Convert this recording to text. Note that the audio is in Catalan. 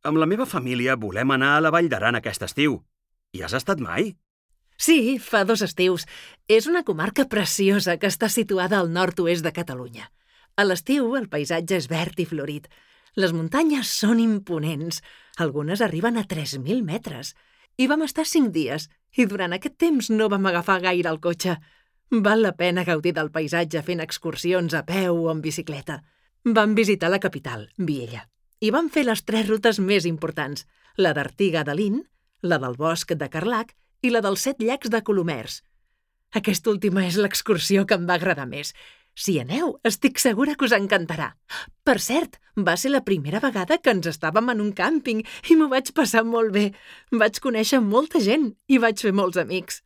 Amb la meva família volem anar a la Vall d'Aran aquest estiu. Hi has estat mai? Sí, fa 2 estius. És una comarca preciosa que està situada al nord-oest de Catalunya. A l'estiu el paisatge és verd i florit. Les muntanyes són imponents. Algunes arriben a 3.000 metres. Hi vam estar 5 dies i durant aquest temps no vam agafar gaire el cotxe. Val la pena gaudir del paisatge fent excursions a peu o en bicicleta. Vam visitar la capital, Viella, i vam fer les 3 rutes més importants, la d'Artiga de Lin, la del Bosc de Carlac i la dels 7 llacs de Colomers. Aquesta última és l'excursió que em va agradar més. Si aneu, estic segura que us encantarà. Per cert, va ser la primera vegada que ens estàvem en un càmping i m'ho vaig passar molt bé. Vaig conèixer molta gent i vaig fer molts amics.